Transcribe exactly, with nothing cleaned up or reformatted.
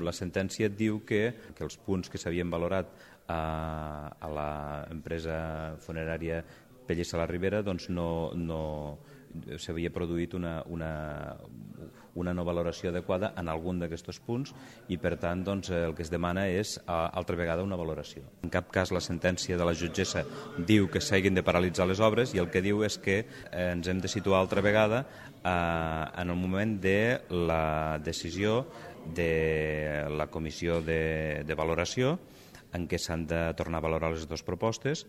la sentència diu que, que els punts que s'havien valorat a, a l'empresa funerària Pellissa la Ribera doncs no, no s'havia produït una, una, una no valoració adequada en algun d'aquests punts i per tant doncs, el que es demana és altra vegada una valoració. En cap cas la sentència de la jutgessa diu que s'hagin de paralitzar les obres i el que diu és que ens hem de situar altra vegada eh, en el moment de la decisió de la comissió de, de valoració en què s'han de tornar a valorar les dues propostes.